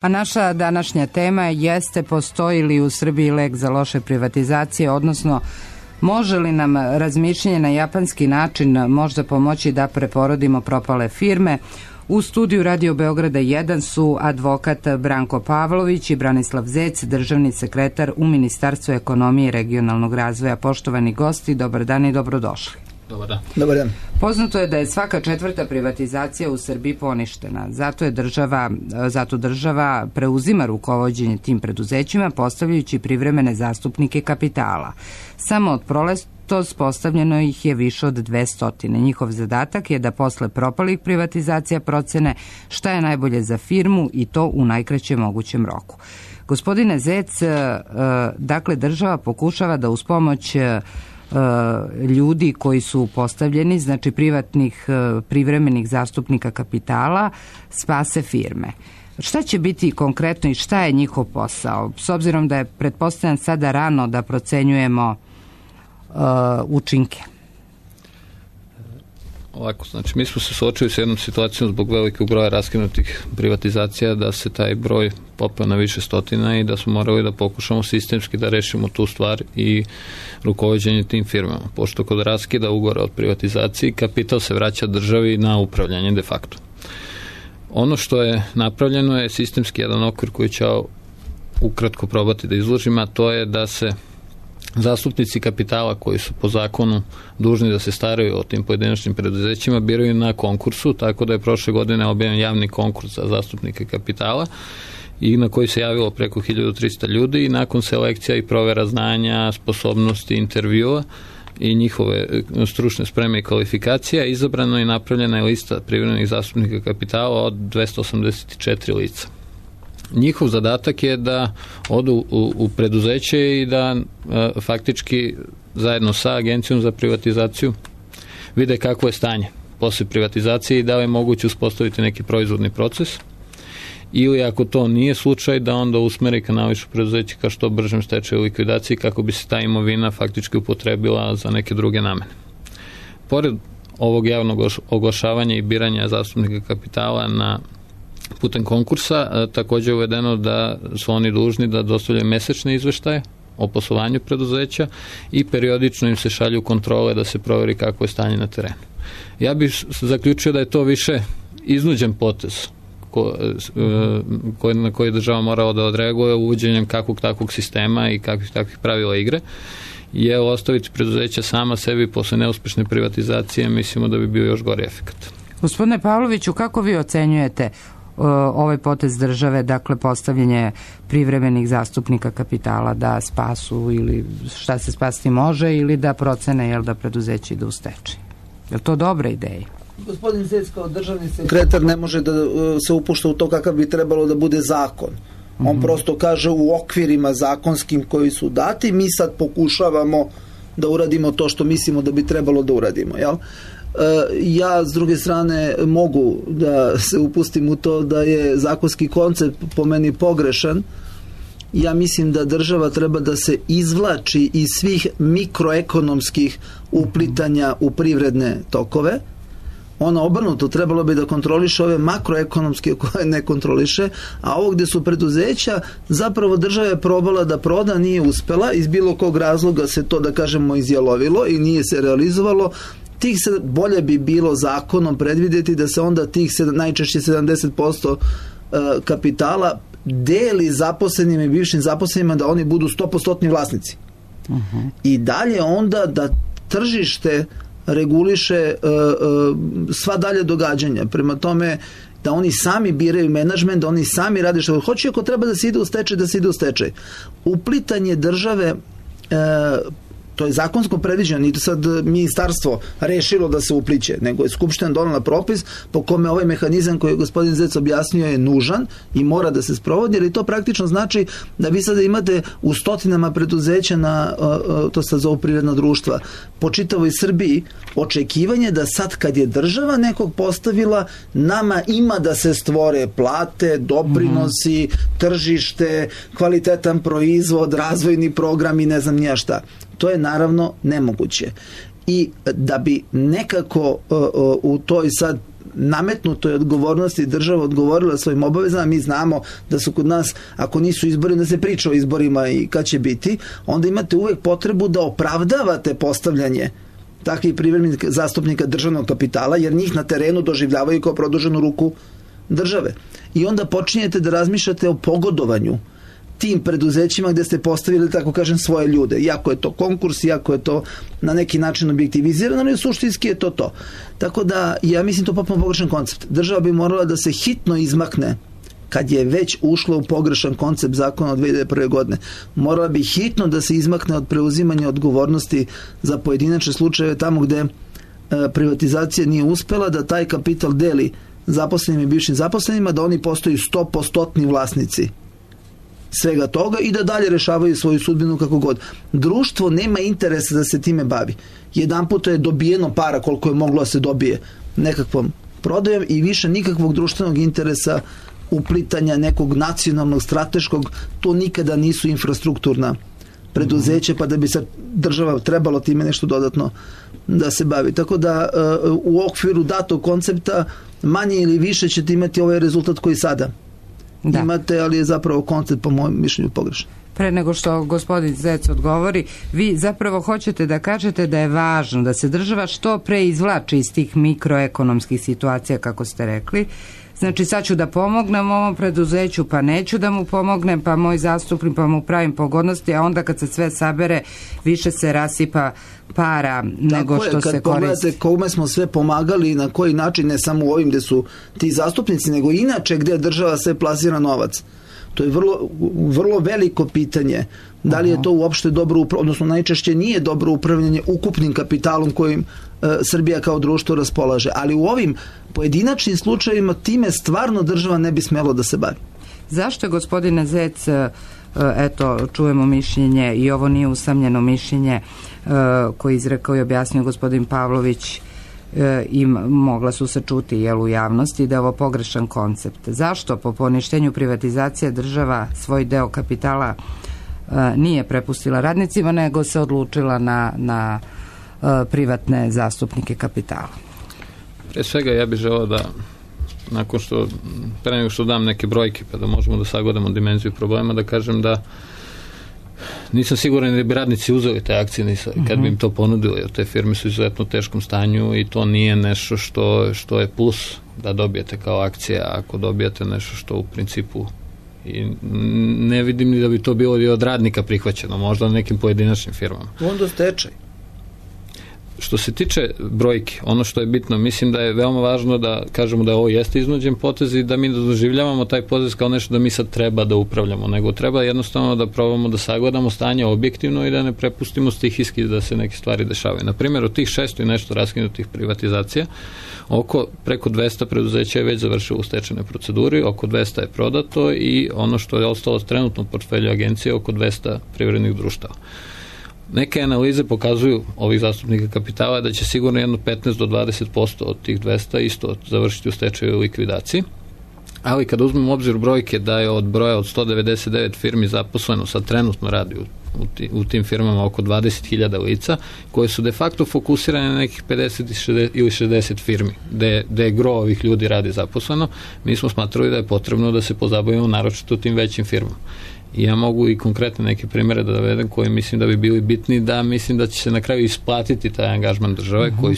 A naša današnja tema jeste postoji li u Srbiji lek za loše privatizacije, odnosno može li nam razmišljanje na japanski način možda pomoći da preporodimo propale firme. U studiju Radio Beograda 1 su advokat Branko Pavlović i Branislav Zec, državni sekretar u Ministarstvu ekonomije i regionalnog razvoja. Poštovani gosti, dobar dan i dobrodošli. Dobar dan. Dobar dan. Poznato je da je svaka četvrta privatizacija u Srbiji poništena. Zato država preuzima rukovođenje tim preduzećima postavljajući privremene zastupnike kapitala. Samo od proletos postavljeno ih je više od 200. Njihov zadatak je da posle propalih privatizacija procene šta je najbolje za firmu i to u najkraćem mogućem roku. Gospodine Zec, dakle država pokušava da uz pomoć ljudi koji su postavljeni, znači privatnih privremenih zastupnika kapitala, spase firme. Šta će biti konkretno i šta je njihov posao? S obzirom da je pretpostavljam sada rano da procenjujemo učinke. Ovako, znači mi smo se suočili s jednom situacijom zbog velikog broja raskinutih privatizacija da se taj broj popeo na više stotina i da smo morali da pokušamo sistemski da rešimo tu stvar i rukovođenje tim firmama. Pošto kod raskida ugovora od privatizaciji kapital se vraća državi na upravljanje de facto. Ono što je napravljeno je sistemski jedan okvir koji će ukratko probati da izložim, a to je da se zastupnici kapitala koji su po zakonu dužni da se staraju o tim pojedinačnim preduzećima biraju na konkursu, tako da je prošle godine objavljen javni konkurs za zastupnike kapitala i na koji se javilo preko 1300 ljudi i nakon selekcija i provera znanja, sposobnosti, intervjua i njihove stručne spreme i kvalifikacija izabrano i napravljena je lista privremenih zastupnika kapitala od 284 lica. Njihov zadatak je da odu u preduzeće i da faktički zajedno sa Agencijom za privatizaciju vide kakvo je stanje posle privatizacije i da li je moguće uspostaviti neki proizvodni proces ili ako to nije slučaj da onda usmeri kanališu preduzeće ka što bržem stečaju i likvidaciji kako bi se ta imovina faktički upotrebila za neke druge namene. Pored ovog javnog oglašavanja i biranja zastupnika kapitala putem konkursa, također je uvedeno da su oni dužni da dostavljaju mesečne izveštaje o poslovanju preduzeća i periodično im se šalju kontrole da se proveri kako je stanje na terenu. Ja bih zaključio da je to više iznuđen potez na koji država morala da odreaguje uvođenjem kakvog takvog sistema i kakvih takvih pravila igre, je ostaviti preduzeća sama sebi posle neuspešne privatizacije, mislimo da bi bio još gori efekat. Gospodine Pavloviću, kako vi ocenjujete ovaj potez države, dakle postavljanje privremenih zastupnika kapitala da spasu ili šta se spasti može ili da procene da preduzeće ide u stečaj? Je li to dobra ideja? Gospodin Zec kao državni sekretar ne može da se upušta u to kakav bi trebalo da bude zakon. On prosto kaže u okvirima zakonskim koji su dati, mi sad pokušavamo da uradimo to što mislimo da bi trebalo da uradimo, jel? Ja s druge strane mogu da se upustim u to da je zakonski koncept po meni pogrešan. Ja mislim da država treba da se izvlači iz svih mikroekonomskih uplitanja u privredne tokove. Ona obrnuto trebalo bi da kontroliše ove makroekonomske koje ne kontroliše, a ovo gde su preduzeća, zapravo država je probala da proda, nije uspela, iz bilo kog razloga se to, da kažemo, izjalovilo i nije se realizovalo. Bolje bi bilo zakonom predvidjeti da se onda tih najčešće 70% kapitala deli zaposlenim i bivšim zaposlenima, da oni budu 100% vlasnici. I dalje onda da tržište reguliše sva dalje događanja. Prema tome da oni sami biraju menadžment, da oni sami rade što hoće, ako treba da se ide u stečaj, da se ide u stečaj. Uplitanje države, to je zakonsko predviđeno, nije to sad ministarstvo rešilo da se upliće, nego je Skupština donela propis po kome ovaj mehanizam koji je gospodin Zec objasnio je nužan i mora da se sprovodi, jer to praktično znači da vi sada imate u stotinama preduzeća to se zove privredna društva, po čitavoj Srbiji, očekivanje da sad kad je država nekog postavila, nama ima da se stvore plate, doprinosi, tržište, kvalitetan proizvod, razvojni program i ne znam nija šta. To je naravno nemoguće. I da bi nekako u toj sad nametnutoj odgovornosti država odgovorila svojim obavezama. Mi znamo da su kod nas, ako nisu izbori, da se priča o izborima i kad će biti, onda imate uvek potrebu da opravdavate postavljanje takvih privremenih zastupnika državnog kapitala, jer njih na terenu doživljavaju kao produženu ruku države. I onda počinjete da razmišljate o pogodovanju tim preduzećima gde ste postavili, tako kažem, svoje ljude. Iako je to konkurs, iako je to na neki način objektivizirano, ali suštinski je to. Tako da, ja mislim to potpuno pogrešan koncept. Država bi morala da se hitno izmakne kad je već ušla u pogrešan koncept zakona od 2001. godine. Morala bi hitno da se izmakne od preuzimanja odgovornosti za pojedinačne slučajeve tamo gde privatizacija nije uspela, da taj kapital deli zaposlenim i bivšim zaposlenima, da oni postaju 100% vlasnici svega toga i da dalje rešavaju svoju sudbinu kako god. Društvo nema interesa da se time bavi. Jedan puta je dobijeno para koliko je moglo da se dobije nekakvom prodajom i više nikakvog društvenog interesa uplitanja nekog nacionalnog, strateškog, to nikada nisu infrastrukturna preduzeće, pa da bi se država trebalo time nešto dodatno da se bavi. Tako da u okviru datog koncepta manje ili više ćete imati ovaj rezultat koji sada imate, ali je zapravo koncept po mojem mišljenju pogrešan. Pre nego što gospodin Zec odgovori, vi zapravo hoćete da kažete da je važno da se država što pre izvlači iz tih mikroekonomskih situacija, kako ste rekli. Znači, sad ću da pomognem ovom preduzeću, pa neću da mu pomognem, pa moj zastupnik, pa mu pravim pogodnosti, a onda kad se sve sabere, više se rasipa para nego što se koristi. Kad pogledate kome smo sve pomagali i na koji način, ne samo u ovim gde su ti zastupnici, nego inače gde država sve plasira novac. To je vrlo veliko pitanje. Da li je to uopšte dobro, odnosno najčešće nije dobro upravljanje ukupnim kapitalom kojim Srbija kao društvo raspolaže. Ali u ovim pojedinačnim slučajevima time stvarno država ne bi smelo da se bavi. Zašto je, gospodine Zec, eto, čujemo mišljenje i ovo nije usamljeno mišljenje koje izrekao i objasnio gospodin Pavlović i mogla su se čuti u javnosti da je ovo pogrešan koncept. Zašto po poništenju privatizacije država svoj deo kapitala nije prepustila radnicima, nego se odlučila na privatne zastupnike kapitala? Pre svega ja bih želeo da nakon što pre nego što dam neke brojke pa da možemo da sagledamo dimenziju problema, da kažem da nisam siguran da bi radnici uzeli te akcije kad bi im to ponudili, jer te firme su izuzetno u teškom stanju i to nije nešto što je plus da dobijete kao akcija, ako dobijete nešto što u principu i ne vidim ni da bi to bilo i od radnika prihvaćeno, možda na nekim pojedinačnim firmama. Onda stečaj. Što se tiče brojke, ono što je bitno, mislim da je veoma važno da kažemo da ovo jeste iznuđen potez i da mi doživljavamo taj potez kao nešto da mi sad treba da upravljamo, nego treba jednostavno da probamo da sagledamo stanje objektivno i da ne prepustimo stihijski da se neke stvari dešavaju. Na primjer, od tih 600 i nešto raskinutih privatizacija, preko 200 preduzeća je već završilo u stečajnoj proceduri, oko 200 je prodato i ono što je ostalo trenutno u portfelju agencije, oko 200 privrednih društava. Neke analize pokazuju ovih zastupnika kapitala da će sigurno jedno 15 do 20% od tih 200 isto završiti u stečaju i likvidaciji. Ali kad uzmemo u obzir brojke da je od broja od 199 firmi zaposleno, sad trenutno radi u tim firmama oko 20.000 lica, koje su de facto fokusirane na nekih 50 ili 60 firmi, gde je gro ovih ljudi radi zaposleno, mi smo smatrali da je potrebno da se pozabavimo naročito tim većim firmama. I ja mogu i konkretne neke primere da dovedem koji mislim da bi bili bitni, da mislim da će se na kraju isplatiti taj angažman države koji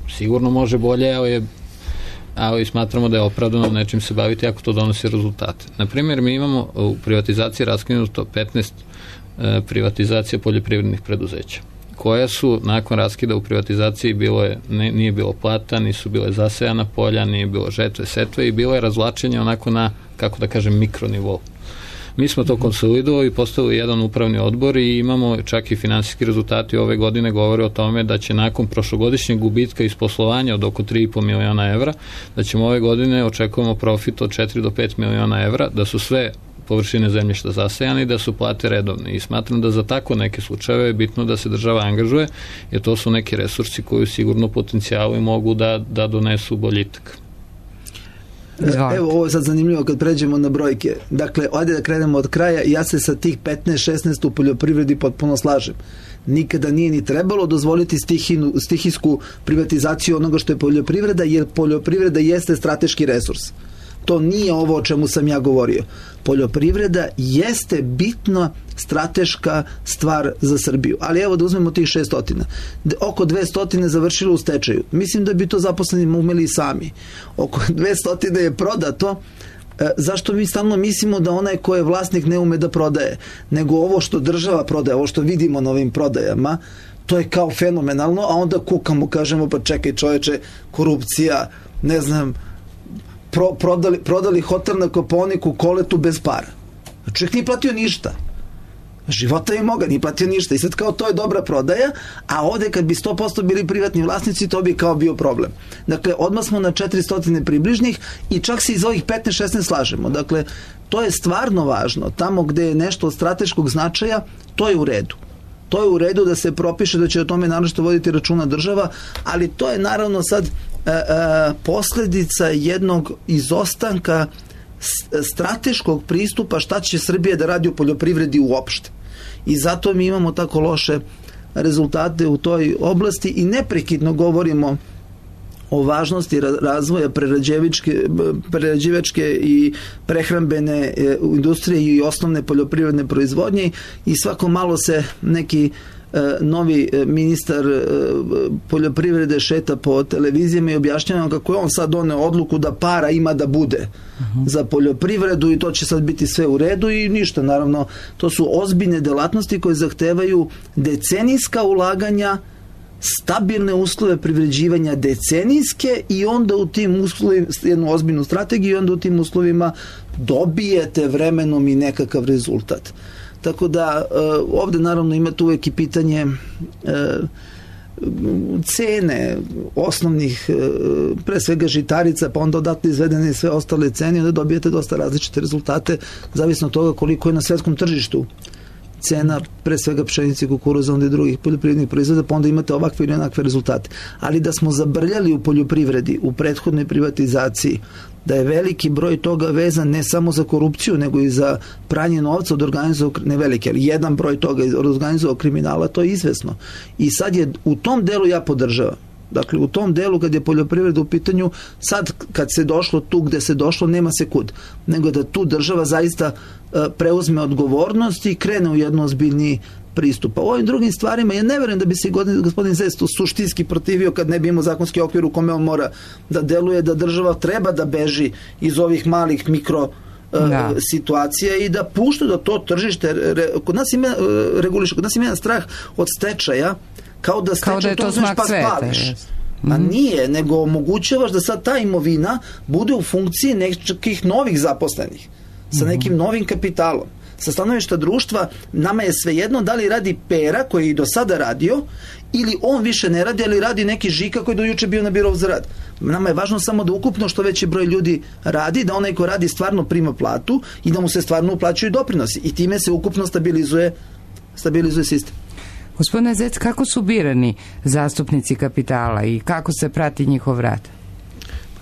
sigurno može bolje, ali smatramo da je opravdano nečim se baviti ako to donosi rezultate. Na primjer, mi imamo u privatizaciji raskinuto 15 privatizacija poljoprivrednih preduzeća, koja su nakon raskida u privatizaciji nije bilo plata, nisu bile zasejana polja, nije bilo žetve, setve i bilo je razvlačenje onako na, kako da kažem, mikronivou. Mi smo to konsolidovali i postavili jedan upravni odbor i imamo čak i finansijski rezultati ove godine govore o tome da će nakon prošlogodišnjeg gubitka iz poslovanja od oko 3,5 miliona evra, da ćemo ove godine očekujemo profit od 4 do 5 miliona evra, da su sve površine zemljišta zasejane i da su plate redovne. I smatram da za tako neke slučajeve je bitno da se država angažuje, jer to su neki resursi koji sigurno potencijali mogu da donesu boljitak. Evo, ovo je sad zanimljivo kad pređemo na brojke. Dakle, ajde da krenemo od kraja. Ja se sa tih 15-16 u poljoprivredi potpuno slažem. Nikada nije ni trebalo dozvoliti stihijsku privatizaciju onoga što je poljoprivreda, jer poljoprivreda jeste strateški resurs. To nije ovo o čemu sam ja govorio. Poljoprivreda jeste bitna strateška stvar za Srbiju. Ali evo da uzmemo tih 600. Oko 200 završilo u stečaju. Mislim da bi to zaposleni umeli i sami. Oko 200 je prodato. Zašto mi stalno mislimo da onaj ko je vlasnik ne ume da prodaje? Nego ovo što država prodaje, ovo što vidimo na ovim prodajama, to je kao fenomenalno, a onda kukamo, kažemo, pa čekaj čoveče, korupcija, ne znam, prodali hotel na Kopaoniku Koletu bez para. Čovjek nije platio ništa. Života je moga, nije platio ništa. I sad kao to je dobra prodaja, a ovde kad bi 100% bili privatni vlasnici, to bi kao bio problem. Dakle, odmah smo na 400 približnih i čak se iz ovih 15-16 slažemo. Dakle, to je stvarno važno. Tamo gde je nešto od strateškog značaja, to je u redu. To je u redu da se propiše da će o tome naročito voditi računa država, ali to je naravno sad posledica jednog izostanka strateškog pristupa šta će Srbija da radi u poljoprivredi uopšte. I zato mi imamo tako loše rezultate u toj oblasti i neprekidno govorimo o važnosti razvoja prerađivačke i prehrambene industrije i osnovne poljoprivredne proizvodnje i svako malo se neki novi ministar poljoprivrede šeta po televizijama i objašnjava kako je on sad doneo odluku da para ima da bude za poljoprivredu i to će sad biti sve u redu i ništa, naravno to su ozbiljne delatnosti koje zahtevaju decenijska ulaganja, stabilne uslove privređivanja decenijske i onda u tim uslovima, jednu ozbiljnu strategiju i onda u tim uslovima dobijete vremenom i nekakav rezultat. Tako da ovde naravno imate uvek i pitanje cene osnovnih, pre svega žitarica, pa onda odatle izvedene sve ostale cene i onda dobijete dosta različite rezultate, zavisno od toga koliko je na svetskom tržištu cena, pre svega pšenice, kukuruza, onda i drugih poljoprivrednih proizvoda, pa onda imate ovakve ili onakve rezultate. Ali da smo zabrljali u poljoprivredi, u prethodnoj privatizaciji, da je veliki broj toga vezan ne samo za korupciju, nego i za pranje novca od organizovanog, ne veliki, ali jedan broj toga od organizovanog kriminala, to je izvesno. I sad je u tom delu ja podržavam. Dakle, u tom delu kad je poljoprivreda u pitanju, sad kad se došlo tu gde se došlo, nema se kud. Nego da tu država zaista preuzme odgovornost i krene u jedno ozbiljniji pristupa. U ovim drugim stvarima ja ne verujem da bi se gospodin Zec suštinski protivio kad ne bi imao zakonski okvir u kome on mora da deluje, da država treba da beži iz ovih malih mikro situacija i da pušta da to tržište kod nas ima reguliše, kod nas ima jedan strah od stečaja kao da stečaj to uzmeš pa spališ. A nije, nego omogućavaš da sad ta imovina bude u funkciji nekih novih zaposlenih sa nekim novim kapitalom. Sa stanovišta društva nama je svejedno da li radi Pera koji je i do sada radio ili on više ne radi, ali radi neki Žika koji do juče bio na birou za rad. Nama je važno samo da ukupno što veći broj ljudi radi, da onaj ko radi stvarno prima platu i da mu se stvarno uplaćuju doprinosi i time se ukupno stabilizuje sistem. Gospodine Zec, kako su birani zastupnici kapitala i kako se prati njihov rad?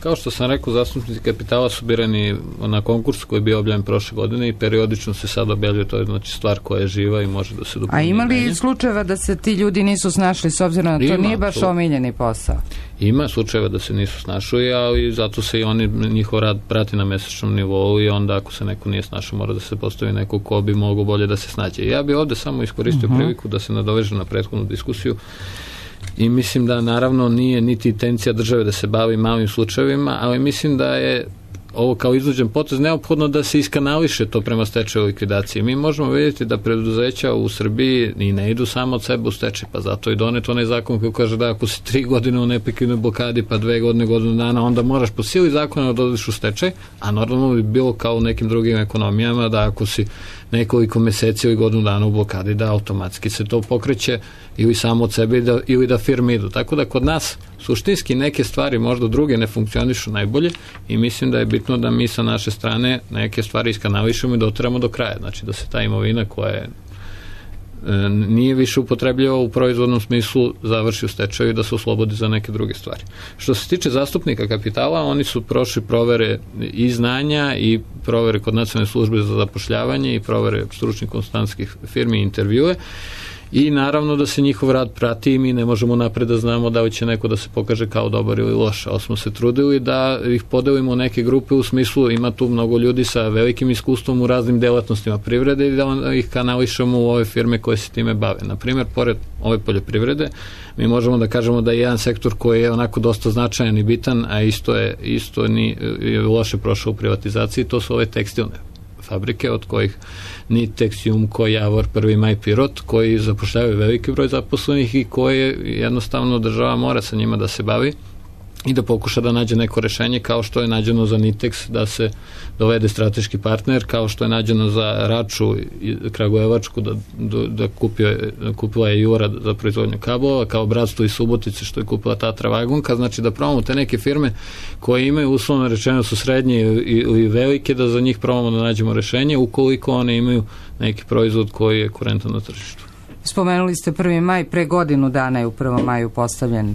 Kao što sam rekao, zastupnici kapitala su birani na konkursu koji je bio objavljen prošle godine i periodično se sad objavljuje, to je znači stvar koja je živa i može da se dopuni. A ima li slučajeva da se ti ljudi nisu snašli s obzirom na to nije baš omiljeni posao? Ima slučajeva da se nisu snašli, ali zato se i oni, njihov rad prati na mesečnom nivou i onda ako se neko nije snašao mora da se postavi neko ko bi mogao bolje da se snađe. Ja bi ovde samo iskoristio priliku da se nadovežem na prethodnu diskusiju i mislim da naravno nije niti intencija države da se bavi malim slučajevima, ali mislim da je ovo kao iznuđen potez neophodno da se iskanališe to prema stečaju likvidaciji. Mi možemo vidjeti da preduzeća u Srbiji i ne idu samo od sebe u stečaj, pa zato i donet onaj zakon koji kaže da ako si 3 godine u neprekidnoj blokadi, pa 2 godine, godinu dana, onda moraš po sili zakona da odeš u stečaj, a normalno bi bilo kao u nekim drugim ekonomijama da ako si nekoliko meseci ili godinu dana u blokadi da automatski se to pokreće ili samo od sebe ili da firme idu. Tako da kod nas suštinski neke stvari možda druge ne funkcionišu najbolje i mislim da je bitno da mi sa naše strane neke stvari iskanališemo i doteramo do kraja. Znači da se ta imovina koja je nije više upotrebljavao u proizvodnom smislu, završi u stečaju i da se oslobodi za neke druge stvari. Što se tiče zastupnika kapitala, oni su prošli provere i znanja i provere kod Nacionalne službe za zapošljavanje i provere stručnih konsultantskih firmi i intervjue i naravno da se njihov rad prati i mi ne možemo napred da znamo da li će neko da se pokaže kao dobar ili loš, ali smo se trudili da ih podelimo u neke grupe u smislu ima tu mnogo ljudi sa velikim iskustvom u raznim delatnostima privrede i da ih kanališemo u ove firme koje se time bave. Naprimjer, pored ove poljoprivrede, mi možemo da kažemo da je jedan sektor koji je onako dosta značajan i bitan, a isto je loše prošao u privatizaciji, to su ove tekstilne fabrike, od kojih Nitex, Jumko, Javor, 1. maj, Pirot, koji zapošljavaju veliki broj zaposlenih i koje jednostavno država mora sa njima da se bavi i da pokuša da nađe neko rešenje, kao što je nađeno za Nitex da se dovede strateški partner, kao što je nađeno za Raču Kragujevačku da kupila je Jura za proizvodnju kablova, kao Bratstvo iz Subotice što je kupila Tatra Vagonka, znači da probamo te neke firme koje imaju uslovno rečeno su srednje ili velike, da za njih probamo da nađemo rešenje ukoliko one imaju neki proizvod koji je kurentan na tržištu. Spomenuli ste 1. maj, pre godinu dana je u 1. maju postavljen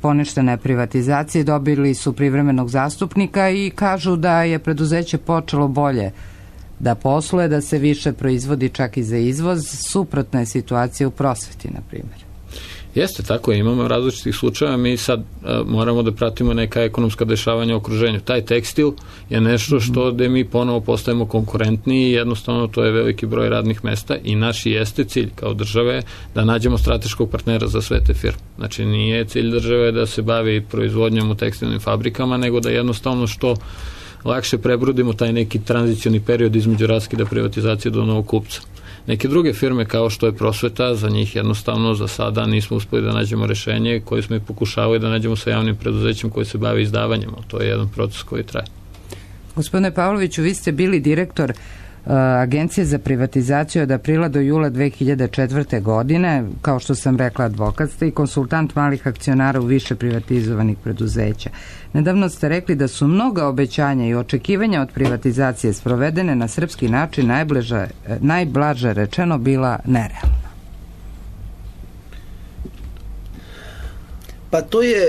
poništene privatizacije, dobili su privremenog zastupnika i kažu da je preduzeće počelo bolje da posluje, da se više proizvodi čak i za izvoz. Suprotna je situacija u prosveti, na primjer. Jeste, tako je, imamo različitih slučajeva, mi sad moramo da pratimo neka ekonomska dešavanja u okruženju. Taj tekstil je nešto što gde mi ponovo postajemo konkurentniji i jednostavno to je veliki broj radnih mesta i naš jeste cilj kao države da nađemo strateškog partnera za sve te firme. Znači nije cilj države da se bavi proizvodnjom u tekstilnim fabrikama, nego da jednostavno što lakše prebrodimo taj neki tranzicioni period između raskida privatizacije do novog kupca. Neke druge firme kao što je prosveta, za njih jednostavno za sada nismo uspeli da nađemo rešenje koje smo i pokušavali da nađemo sa javnim preduzećem koji se bavi izdavanjem. To je jedan proces koji traje. Gospodine Pavloviću, vi ste bili direktor Agencije za privatizaciju od aprila do jula 2004. godine, kao što sam rekla, advokat ste i konsultant malih akcionara u više privatizovanih preduzeća. Nedavno ste rekli da su mnoga obećanja i očekivanja od privatizacije sprovedene na srpski način najblaže rečeno bila nerealna. Pa to je,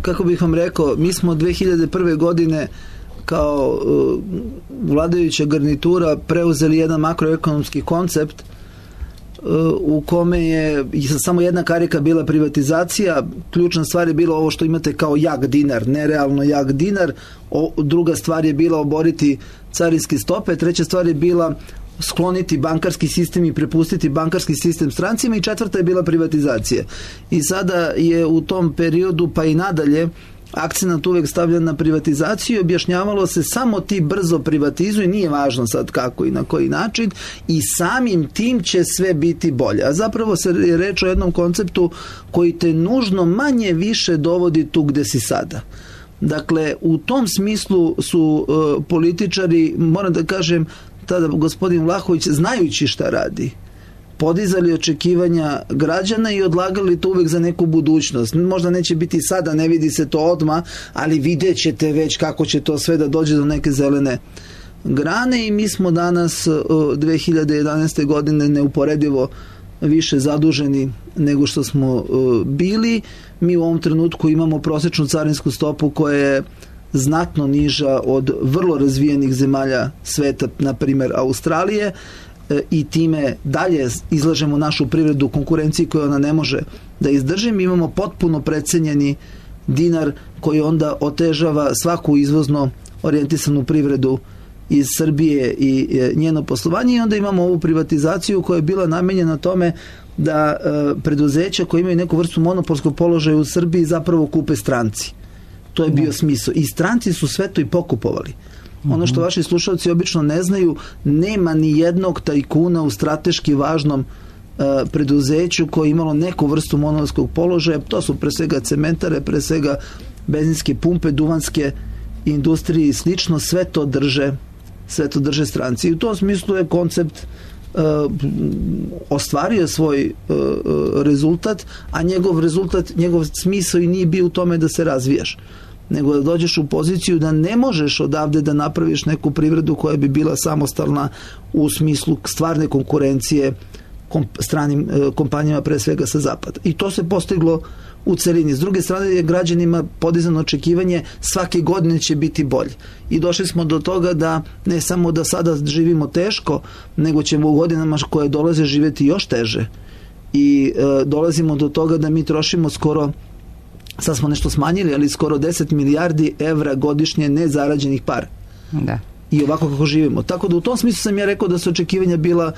kako bih vam rekao, mi smo 2001. godine kao vladajuća garnitura preuzeli jedan makroekonomski koncept u kome je samo jedna karika bila privatizacija. Ključna stvar je bila ovo što imate kao jak dinar, nerealno jak dinar. Druga stvar je bila oboriti carinske stope. Treća stvar je bila skloniti bankarski sistem i prepustiti bankarski sistem strancima i četvrta je bila privatizacija. I sada je u tom periodu pa i nadalje akcenat uvek stavljan na privatizaciju, objašnjavalo se samo ti brzo privatizuj, nije važno sad kako i na koji način i samim tim će sve biti bolje. A zapravo se reč o jednom konceptu koji te nužno manje više dovodi tu gde si sada. Dakle, u tom smislu su političari, moram da kažem, tada gospodin Vlahović, znajući šta radi, podizali očekivanja građana i odlagali to uvek za neku budućnost. Možda neće biti sada, ne vidi se to odmah, ali vidjet ćete već kako će to sve da dođe do neke zelene grane i mi smo danas 2011. godine neuporedivo više zaduženi nego što smo bili. Mi u ovom trenutku imamo prosečnu carinsku stopu koja je znatno niža od vrlo razvijenih zemalja sveta, na primjer Australije, i time dalje izlažemo našu privredu konkurenciji koju ona ne može da izdrži. Mi imamo potpuno precenjeni dinar koji onda otežava svaku izvozno orijentisanu privredu iz Srbije i njeno poslovanje i onda imamo ovu privatizaciju koja je bila namenjena tome da preduzeća koje imaju neku vrstu monopolskog položaja u Srbiji zapravo kupe stranci. To je bio smisao. I stranci su sve to i pokupovali. Ono što vaši slušalci obično ne znaju, nema ni jednog tajkuna u strateški važnom preduzeću koje je imalo neku vrstu monopolskog položaja. To su pre svega cementare, pre svega benzinske pumpe, duvanske industrije i slično. Sve to drže stranci. I u tom smislu je koncept ostvario svoj rezultat, a njegov smisao i nije bio u tome da se razvijaš, nego da dođeš u poziciju da ne možeš odavde da napraviš neku privredu koja bi bila samostalna u smislu stvarne konkurencije stranim kompanijama, pre svega sa zapada. I to se postiglo u celini. S druge strane je građanima podizano očekivanje svake godine će biti bolje. I došli smo do toga da ne samo da sada živimo teško, nego ćemo u godinama koje dolaze živjeti još teže. I dolazimo do toga da mi trošimo skoro, sad smo nešto smanjili, ali skoro 10 milijardi evra godišnje nezarađenih para. Da. I ovako kako živimo. Tako da u tom smislu sam ja rekao da su očekivanja bila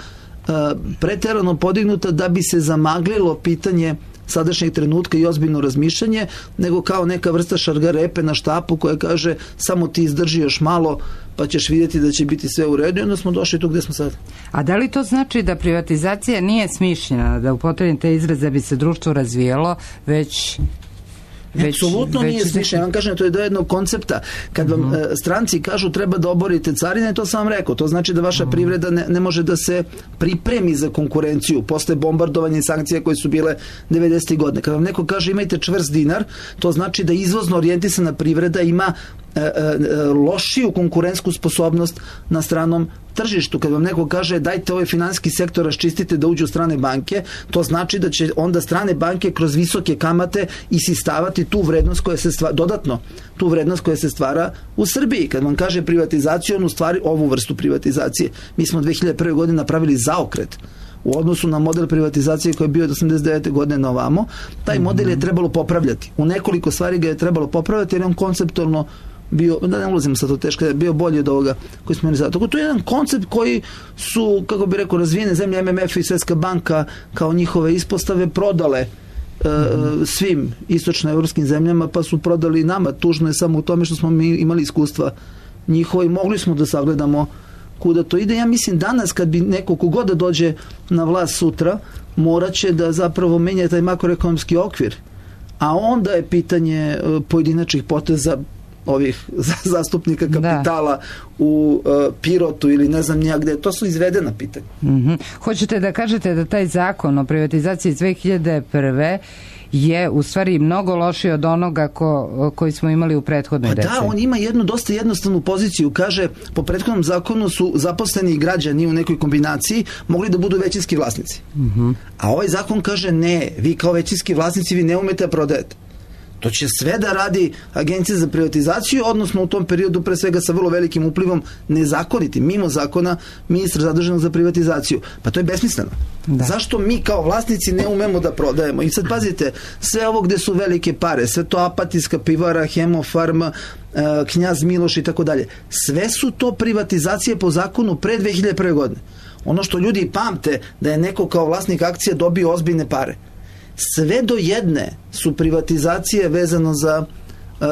preterano podignuta da bi se zamaglilo pitanje sadašnjeg trenutka i ozbiljno razmišljanje, nego kao neka vrsta šargarepe na štapu koja kaže samo ti izdrži još malo pa ćeš vidjeti da će biti sve u redu i onda smo došli tu gde smo sad. A da li to znači da privatizacija nije smišljena, da upotrebim te izraze da bi se društvo razvijelo, već apsolutno nije smišljeno. Ja vam kažem, to je do jednog koncepta. Kad vam stranci kažu treba da oborite carine, to sam vam rekao. To znači da vaša privreda ne može da se pripremi za konkurenciju posle bombardovanja i sankcija koje su bile 90. godine. Kad vam neko kaže imajte čvrst dinar, to znači da izvozno orijentisana privreda ima lošiju konkurentsku sposobnost na stranom tržištu. Kad vam neko kaže dajte ovaj finansijski sektor raščistite da uđu strane banke, to znači da će onda strane banke kroz visoke kamate isistavati tu vrednost koja se stvara, dodatno tu vrednost koja se stvara u Srbiji. Kad vam kaže privatizaciju, on u stvari ovu vrstu privatizacije. Mi smo 2001. godine napravili zaokret u odnosu na model privatizacije koji je bio od 89. godine na ovamo. Taj model je trebalo popravljati. U nekoliko stvari ga je trebalo popravljati jer je on konceptualno bio, da ne ulazimo sad to teško, je bio bolji od ovoga koji smo imali sada. Tako to je jedan koncept koji su, kako bi rekao, razvijene zemlje, MMF i Svjetska banka kao njihove ispostave prodale svim istočnoevropskim zemljama, pa su prodali i nama. Tužno je samo u tome što smo mi imali iskustva njihova i mogli smo da sagledamo kuda to ide. Ja mislim danas kad bi neko kogod da dođe na vlast sutra, morat će da zapravo menja taj makroekonomski okvir. A onda je pitanje pojedinačnih poteza ovih zastupnika kapitala u Pirotu ili ne znam nija gde. To su izvedena pitanja. Hoćete da kažete da taj zakon o privatizaciji iz 2001. je u stvari mnogo lošiji od onoga koji smo imali u prethodnoj deceniji? Da, on ima jednu dosta jednostavnu poziciju. Kaže, po prethodnom zakonu su zaposleni građani u nekoj kombinaciji mogli da budu većinski vlasnici. A ovaj zakon kaže ne, vi kao većinski vlasnici vi ne umete da prodajete. To će sve da radi Agencija za privatizaciju, odnosno u tom periodu pre svega sa vrlo velikim uplivom nezakonitim, mimo zakona, ministra zaduženog za privatizaciju. Pa to je besmisleno. Da. Zašto mi kao vlasnici ne umemo da prodajemo? I sad pazite, sve ovo gde su velike pare, sve to Apatijska pivara, Hemofarma, Knjaz Miloš i tako dalje, sve su to privatizacije po zakonu pre 2001. godine. Ono što ljudi pamte da je neko kao vlasnik akcija dobio ozbiljne pare. Sve do jedne su privatizacije vezano za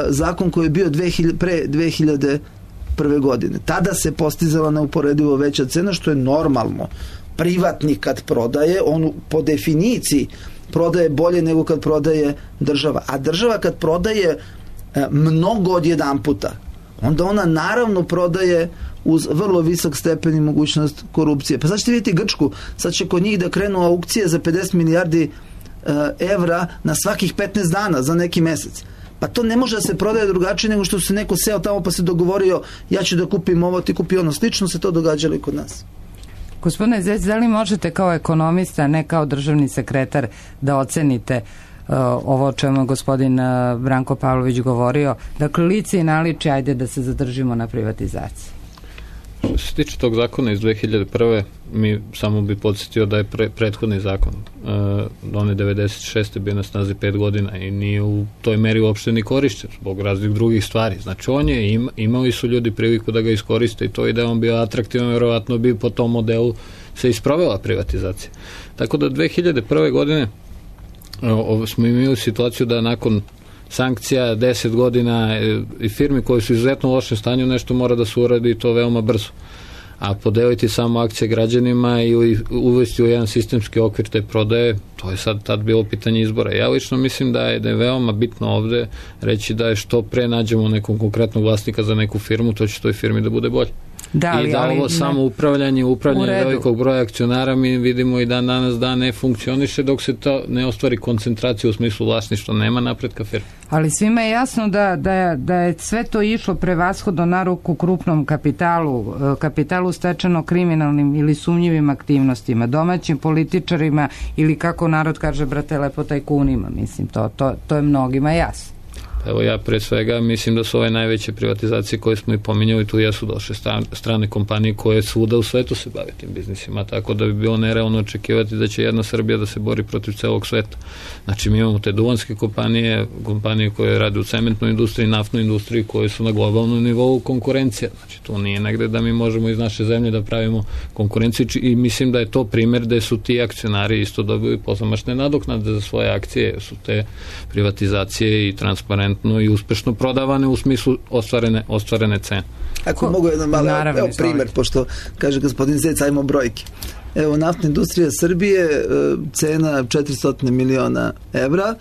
zakon koji je bio pre 2001. godine. Tada se postizala neuporedivo veća cena, što je normalno. Privatnik kad prodaje, on po definiciji prodaje bolje nego kad prodaje država. A država kad prodaje mnogo od jedan puta, onda ona naravno prodaje uz vrlo visok stepen i mogućnost korupcije. Pa sad ćete vidjeti Grčku, sad će kod njih da krenu aukcije za 50 milijardi evra na svakih 15 dana za neki mesec. Pa to ne može da se prodaje drugačije nego što se neko seo tamo pa se dogovorio ja ću da kupim ovo, ti kupi ono. Slično se to događalo i kod nas. Gospodine Zec, da li možete kao ekonomista, ne kao državni sekretar, da ocenite ovo o čemu je gospodin Branko Pavlović govorio? Dakle, lice i naličje, ajde da se zadržimo na privatizaciji. Što se tiče tog zakona iz 2001. mi samo bi podsjetio da je prethodni zakon on je 96. bio na snazi 5 godina i nije u toj meri uopšte ni korišćen zbog raznih drugih stvari. Znači on je imali su ljudi priliku da ga iskoriste i to i da je on bio atraktivan, vjerovatno bi po tom modelu se isprovela privatizacija. Tako da 2001. godine smo imali situaciju da nakon sankcija 10 godina i firmi koje su izuzetno u lošem stanju nešto mora da se uradi i to veoma brzo. A podeliti samo akcije građanima i uvesti u jedan sistemski okvir te prodaje, to je sad tad bilo pitanje izbora. Ja lično mislim da je veoma bitno ovde reći da je što pre nađemo nekog konkretnog vlasnika za neku firmu, to će toj firmi da bude bolje. I da ovo samo upravljanje velikog broja akcionara mi vidimo i danas da ne funkcioniše dok se to ne ostvari koncentracija u smislu vlasništva, nema napretka firme. Ali svima je jasno da je sve to išlo prevashodno na ruku krupnom kapitalu stečeno kriminalnim ili sumnjivim aktivnostima, domaćim političarima ili kako narod kaže, brate, lepo tajkunima. Mislim, to je mnogima jasno. Evo ja pre svega mislim da su ove najveće privatizacije koje smo i pominjali, tu jesu došle strane kompanije koje svuda u svetu se bave tim biznisima, tako da bi bilo nerealno očekivati da će jedna Srbija da se bori protiv celog sveta. Znači mi imamo te duvanske kompanije koje rade u cementnoj industriji, naftnoj industriji, koje su na globalnom nivou konkurencija. Znači tu nije negde da mi možemo iz naše zemlje da pravimo konkurenciju i mislim da je to primjer da su ti akcionari isto dobili pozamašne nadoknade za svoje akcije, su te privatizacije i transparentno i uspešno prodavane u smislu ostvarene cene. Ako mogu jedan mali primjer, pošto kaže gospodin Zec, ajmo brojke. Evo, naftna industrija Srbije, cena 400 miliona evra,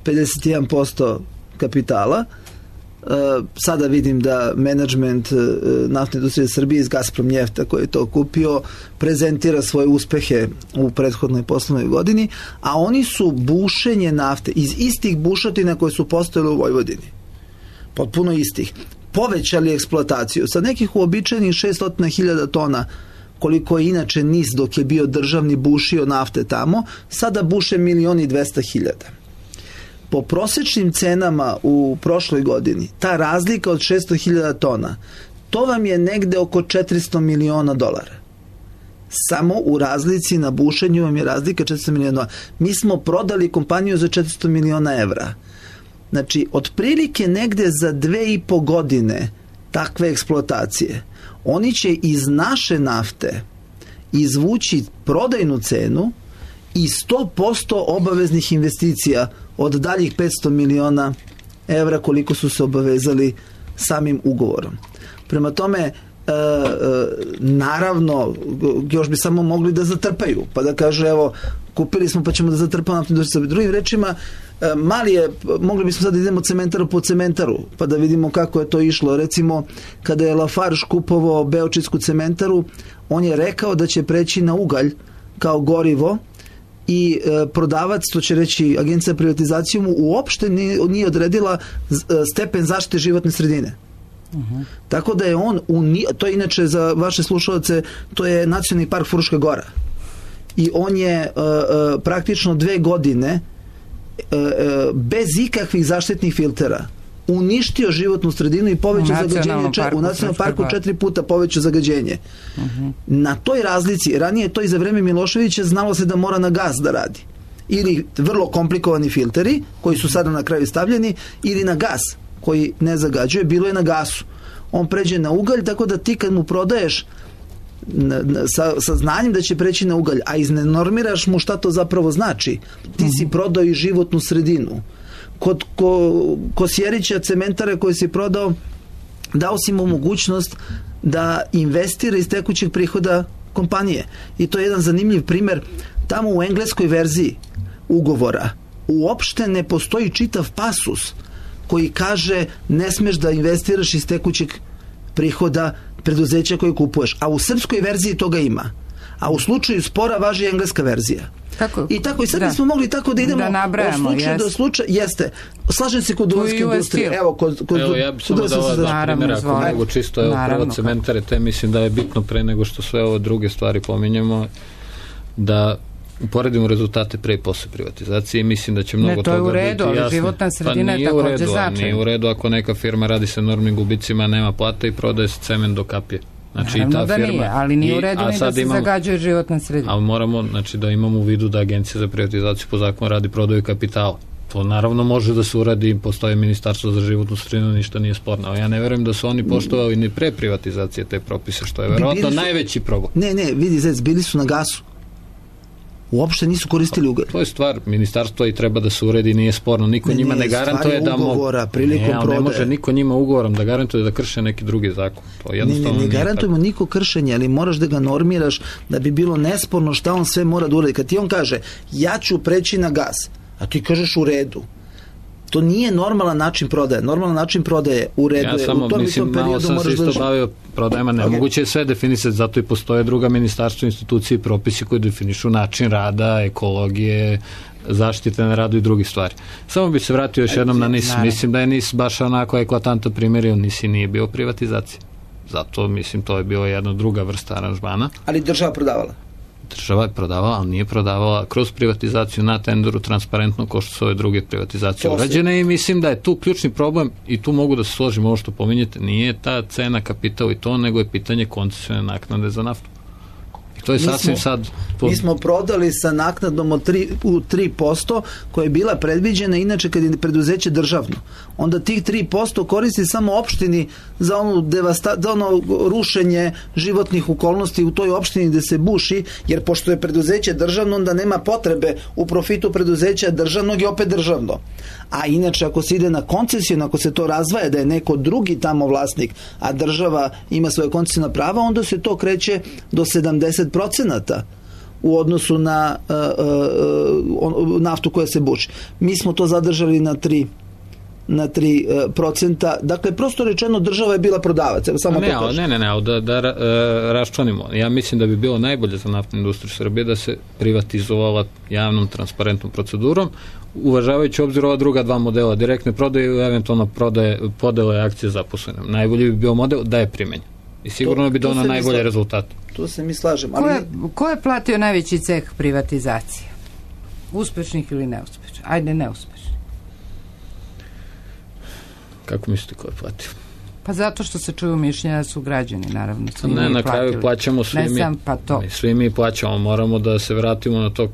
51% kapitala. Sada vidim da menadžment naftne industrije Srbije iz Gazprom Njefta koji je to kupio prezentira svoje uspehe u prethodnoj poslovnoj godini, a oni su bušenje nafte iz istih bušotina koje su postojale u Vojvodini, potpuno istih, povećali eksploataciju sa nekih uobičajenih 600.000 tona koliko je inače NIS dok je bio državni bušio nafte tamo, sada buše 1.200.000. Po prosječnim cenama u prošloj godini, ta razlika od 600.000 tona, to vam je negde oko $400 miliona. Samo u razlici na bušenju vam je razlika $400 miliona. Mi smo prodali kompaniju za 400 miliona evra. Znači, otprilike negde za 2,5 godine takve eksploatacije, oni će iz naše nafte izvući prodajnu cenu i 100% obaveznih investicija od daljih 500 miliona evra koliko su se obavezali samim ugovorom. Prema tome, naravno, još bi samo mogli da zatrpaju, pa da kažu, evo, kupili smo pa ćemo da zatrpamo naftnu industriju. Drugim rečima, mali je, mogli bismo sad da idemo cementaru po cementaru, pa da vidimo kako je to išlo. Recimo, kada je Lafarge kupovao Beočijsku cementaru, on je rekao da će preći na ugalj kao gorivo i prodavac, to će reći Agencija za privatizaciju, mu uopšte nije odredila stepen zaštite životne sredine. Tako da je on, to je inače za vaše slušalce, to je Nacionalni park Fruška Gora. I on je praktično 2 godine bez ikakvih zaštitnih filtera uništio životnu sredinu i povećao zagađenje u nacionalnom parku 4 puta povećao zagađenje. Na toj razlici, ranije to i za vreme Miloševića znalo se da mora na gas da radi. Ili vrlo komplikovani filteri koji su sada na kraju stavljeni, ili na gas koji ne zagađuje, bilo je na gasu. On pređe na ugalj, tako da ti kad mu prodaješ sa znanjem da će preći na ugalj, a iznenormiraš mu šta to zapravo znači, ti si prodao i životnu sredinu. Kod Kosjerića cementare koje si prodao, dao si mu mogućnost da investira iz tekućeg prihoda kompanije. I to je jedan zanimljiv primer. Tamo u engleskoj verziji ugovora uopšte ne postoji čitav pasus koji kaže ne smeš da investiraš iz tekućeg prihoda preduzeća koje kupuješ. A u srpskoj verziji toga ima. A u slučaju spora važi engleska verzija. I tako, i sad bismo mogli tako da idemo od slučaja do slučaja. Jeste. Slažem se kod duvanske industrije. Evo ja bih samo dao dva primjera, ako mogu čisto, prvo cementare, te mislim da je bitno pre nego što sve ove druge stvari pominjemo, da uporedimo rezultate pre i posle privatizacije i mislim da će mnogo toga biti jasno. Ne, to je u redu, ali životna sredina je takođe značajna. Nije u redu ako neka firma radi sa enormnim gubicima, nema plata i prodaje se cement do kapije. Znači, naravno da nije, ali nije u redu ni da se zagađuje životna sredina. Ali moramo, znači, da imamo u vidu da Agencija za privatizaciju po zakonu radi prodaju kapitala. To naravno može da se uradi, postoje Ministarstvo za životnu sredinu, ništa nije sporno. Ali ja ne verujem da su oni poštovali ni pre privatizacije te propise, što je verovatno najveći problem. Ne, vidi, Zec, bili su na gasu. Uopšte nisu koristili ugalj. To je stvar ministarstva i treba da se uredi, nije sporno. Niko njima ne garantuje da ne može niko njima ugovorom da garantuje da krše neki drugi zakon. To jednostavno ne garantujemo niko kršenje, ali moraš da ga normiraš da bi bilo nesporno šta on sve mora da uredi. Kad ti on kaže, ja ću preći na gas, a ti kažeš u redu, To nije normalan način prodaje. Normalan način prodaje u redu je. U tom istom periodu moraš da... Ja sam se isto bavio prodajama, nemoguće je sve definisati, zato i postoje druga ministarstva, institucije i propisi koji definišu način rada, ekologije, zaštite na radu i drugih stvari. Samo bi se vratio još jednom na NIS. Mislim da je NIS baš onako eklatantan primjer, jer NIS nije bio privatizacija. Zato, mislim, to je bila jedna druga vrsta aranžmana. Ali država prodavala? Država je prodavala, ali nije prodavala kroz privatizaciju na tenderu transparentno kao što su ove druge privatizacije urađene i mislim da je tu ključni problem i tu mogu da se složim ovo što pominjete, nije ta cena, kapital i to, nego je pitanje koncesione naknade za naftu. I to je sasvim sad... Mi smo prodali sa naknadom od 3%, koja je bila predviđena, inače kad je preduzeće državno. Onda tih 3% koristi samo opštini za ono rušenje životnih okolnosti u toj opštini gde se buši, jer pošto je preduzeće državno, onda nema potrebe u profitu preduzeća državnog i opet državno. A inače, ako se ide na koncesiju, ako se to razvaja da je neko drugi tamo vlasnik, a država ima svoje koncesijna prava, onda se to kreće do 70% u odnosu na naftu koja se buši. Mi smo to zadržali na 3%. Dakle, prosto rečeno, država je bila prodavac. Samo da raščlanimo. Ja mislim da bi bilo najbolje za naftnu industriju Srbije da se privatizovala javnom transparentnom procedurom, uvažavajući obzir ova druga dva modela, direktne prodaje i eventualno podele akcije zaposlenim. Najbolji bi bio model da je primenjen. I sigurno bi donao najbolje rezultate. Tu se mi slažem. Ko je platio najveći ceh privatizacije? Uspešnih ili neuspešnih? Ajde, neuspešnih. Kako mislite ko je platio? Pa zato što se čuju mišljenja da su građani, naravno. Na kraju plaćamo svi mi. Svi mi plaćamo. Moramo da se vratimo na to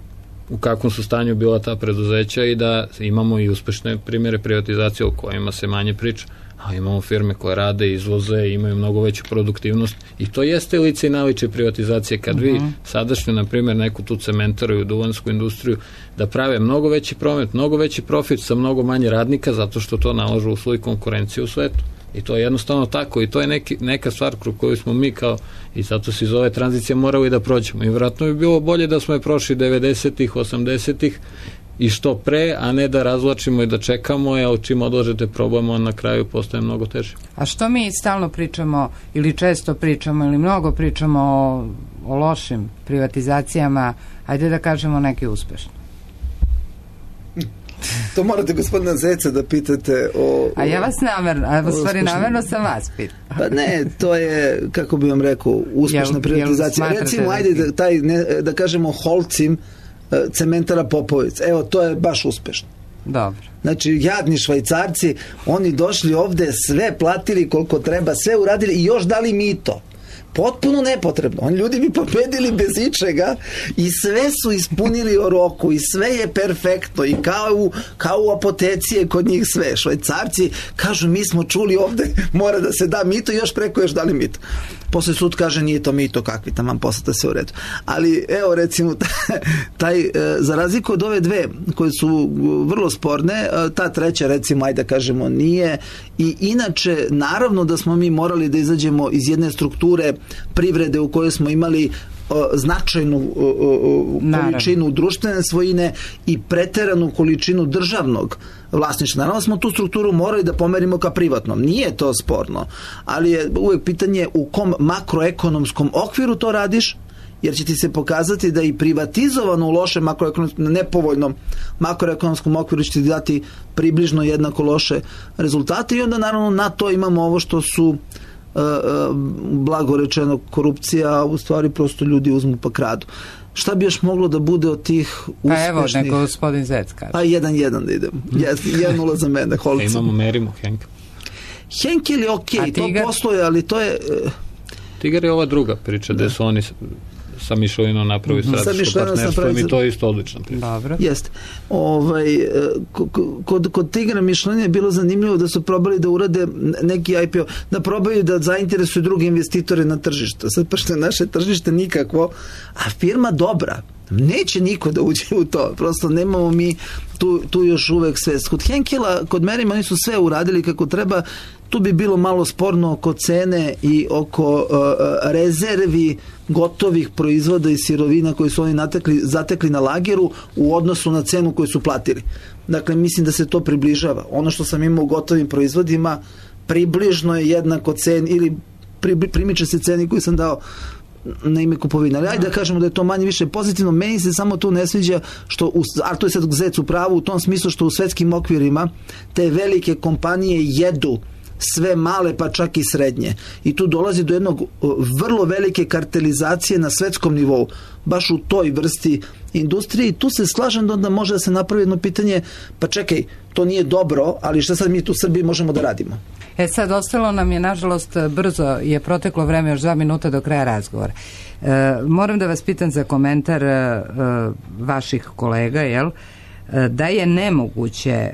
u kakvom su stanju bila ta preduzeća i da imamo i uspešne primjere privatizacije o kojima se manje priča. A imamo firme koje rade, izvoze, imaju mnogo veću produktivnost i to jeste lice i naličje privatizacije. Kad vi sadašnju, na primjer, neku tu cementaru i duvansku industriju da prave mnogo veći promet, mnogo veći profit sa mnogo manje radnika zato što to nalažu uslovi konkurencije u svetu. I to je jednostavno tako i to je neka stvar kroz koju smo mi kao, i zato se iz ove tranzicije morali da prođemo. I vjerojatno bi bilo bolje da smo je prošli 90-ih, 80-ih i što pre, a ne da razvlačimo i da čekamo, jer čim odlažete problem, on na kraju postaje mnogo teže. A što mi stalno pričamo ili često pričamo ili mnogo pričamo o lošim privatizacijama, ajde da kažemo neke uspešne? To morate gospodina Zeca da pitate a ja vas namerno sam vas pitao. Pa ne, to je, kako bi vam rekao, uspešna privatizacija. Recimo, ajde da kažemo Holcim cementara Popovic. Evo, to je baš uspešno. Dobro. Znači, jadni Švajcarci, oni došli ovde, sve platili koliko treba, sve uradili i još dali mito. Potpuno nepotrebno. Oni ljudi bi pobedili bez ičega i sve su ispunili o roku i sve je perfektno i kao u apoteci je kod njih sve. Švajcarci kažu, mi smo čuli ovde, mora da se da mito i još preko još dali mito. Posle sud kaže, nije to mito, kakvi taman, poslata se u redu. Ali evo, recimo, za razliku od ove dve koje su vrlo sporne, ta treća, recimo, ajde da kažemo, nije. I inače, naravno da smo mi morali da izađemo iz jedne strukture privrede u kojoj smo imali značajnu količinu društvene svojine i preteranu količinu državnog vlasništva. Naravno smo tu strukturu morali da pomerimo ka privatnom. Nije to sporno, ali je uvek pitanje u kom makroekonomskom okviru to radiš, jer će ti se pokazati da i privatizovano u lošem nepovoljnom makroekonomskom okviru će ti dati približno jednako loše rezultate i onda naravno na to imamo ovo što su blago rečeno korupcija, a u stvari prosto ljudi uzmu pa kradu. Šta bi još moglo da bude od tih uspešnih? Pa evo, neko gospodin Zec kaže. Pa 1-1 da idem. 1-0 za mene, Holcim. Imamo, merimo Henkel. Henkel je okej, to posluje, ali to je... Tigar je ova druga priča, gde su oni sa Mišelinom napravi strateško partnerstvo i to je isto odlična priča. Dobro. Jeste. Kod Tigara Mišelina je bilo zanimljivo da su probali da urade neki IPO, da probaju da zainteresuju druge investitore na tržištu. Sad, pošto je naše tržište nikakvo, a firma dobra, Neće niko da uđe u to. Prosto nemamo mi tu još uvek svest. Kod Henkela, kod Merima, oni su sve uradili kako treba. Tu bi bilo malo sporno oko cene i oko rezervi gotovih proizvoda i sirovina koje su oni zatekli na lageru u odnosu na cenu koju su platili. Dakle, mislim da se to približava. Ono što sam imao u gotovim proizvodima približno je jednako ceni ili primiče se ceni koju sam dao na ime kupovina. Ali ajde da kažemo da je to manje više pozitivno. Meni se samo tu ne sviđa što, a to je sad Zec u pravu u tom smislu što u svetskim okvirima te velike kompanije jedu sve male pa čak i srednje. I tu dolazi do jednog vrlo velike kartelizacije na svetskom nivou, baš u toj vrsti industrije i tu se slažem da onda može da se napravi jedno pitanje, pa čekaj, to nije dobro, ali šta sad mi tu u Srbiji možemo da radimo? Sad ostalo nam je, nažalost, brzo je proteklo vreme, još 2 minuta do kraja razgovora. Moram da vas pitam za komentar vaših kolega, jel? Da je nemoguće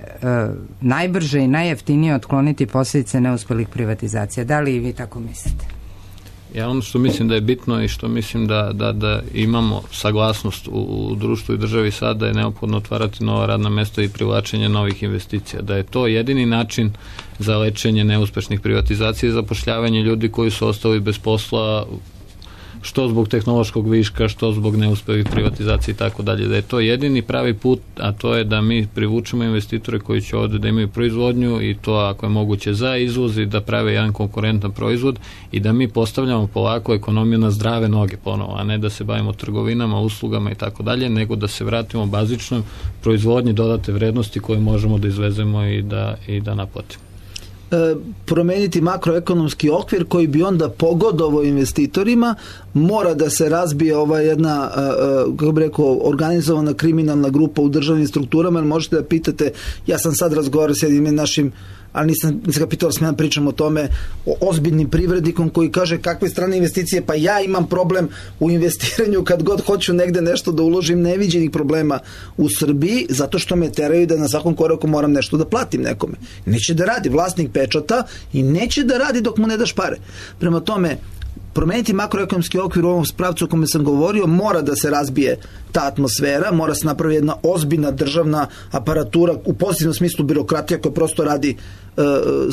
najbrže i najjeftinije otkloniti posljedice neuspelih privatizacija. Da li i vi tako mislite? Ja ono što mislim da je bitno i što mislim da imamo saglasnost u društvu i državi sada je neophodno otvarati nova radna mesta i privlačenje novih investicija. Da je to jedini način za lečenje neuspešnih privatizacija i zapošljavanje ljudi koji su ostali bez posla što zbog tehnološkog viška, što zbog neuspelih privatizacija i tako dalje. Da je to jedini pravi put, a to je da mi privučemo investitore koji će ovde da imaju proizvodnju i to ako je moguće za izvoz i da prave jedan konkurentan proizvod i da mi postavljamo polako ekonomiju na zdrave noge ponovo, a ne da se bavimo trgovinama, uslugama i tako dalje, nego da se vratimo bazičnoj proizvodnji dodate vrednosti koje možemo da izvezemo i da naplatimo. Promeniti makroekonomski okvir koji bi onda pogodovao investitorima, mora da se razbije ova jedna, kako bi rekao, organizovana kriminalna grupa u državnim strukturama, jer možete da pitate, ja sam sad razgovarao s jednim našim, ali nisam ga pitao, smijem pričam o tome, o ozbiljnim privrednikom koji kaže kakve strane investicije, pa ja imam problem u investiranju kad god hoću negde nešto da uložim, neviđenih problema u Srbiji, zato što me teraju da na svakom koraku moram nešto da platim nekome. Neće da radi, vlasnik pečata i neće da radi dok mu ne daš pare. Prema tome, promeniti makroekonomski okvir u ovom pravcu o kome sam govorio, mora da se razbije ta atmosfera, mora se napravi jedna ozbiljna državna aparatura, u pozitivnom smislu birokratija koja prosto radi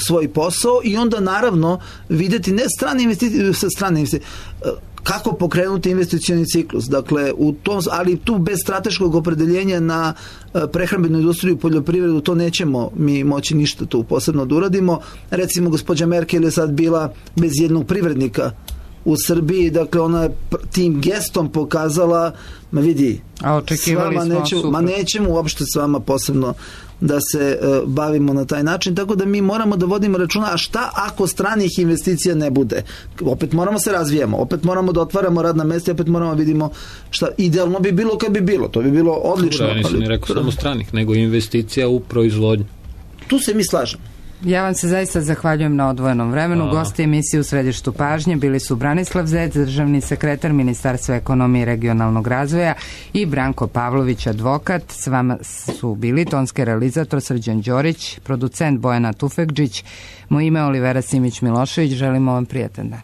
svoj posao i onda naravno videti ne strane investicije, kako pokrenuti investicioni ciklus. Dakle, ali tu bez strateškog opredeljenja na prehrambenu industriju i poljoprivredu to nećemo mi moći ništa tu posebno da uradimo. Recimo, gospođa Merkel je sad bila bez jednog privrednika u Srbiji, dakle ona je tim gestom pokazala, ma vidi, nećemo uopšte s vama posebno da se bavimo na taj način, tako da mi moramo da vodimo računa, a šta ako stranih investicija ne bude? Opet moramo se razvijamo, opet moramo da otvaramo radna mesta, opet moramo da vidimo šta idealno bi bilo kad bi bilo, to bi bilo odlično. Ja nisam ni rekao samo stranih, nego investicija u proizvodnju. Tu se mi slažemo. Ja vam se zaista zahvaljujem na odvojenom vremenu. Gosti emisije u središtu pažnje bili su Branislav Zec, državni sekretar Ministarstva ekonomije i regionalnog razvoja, i Branko Pavlović, advokat. S vama su bili tonski realizator Srđan Đorić, producent Bojana Tufekđić. Moje ime je Olivera Simić Milošević. Želimo vam prijatan dan.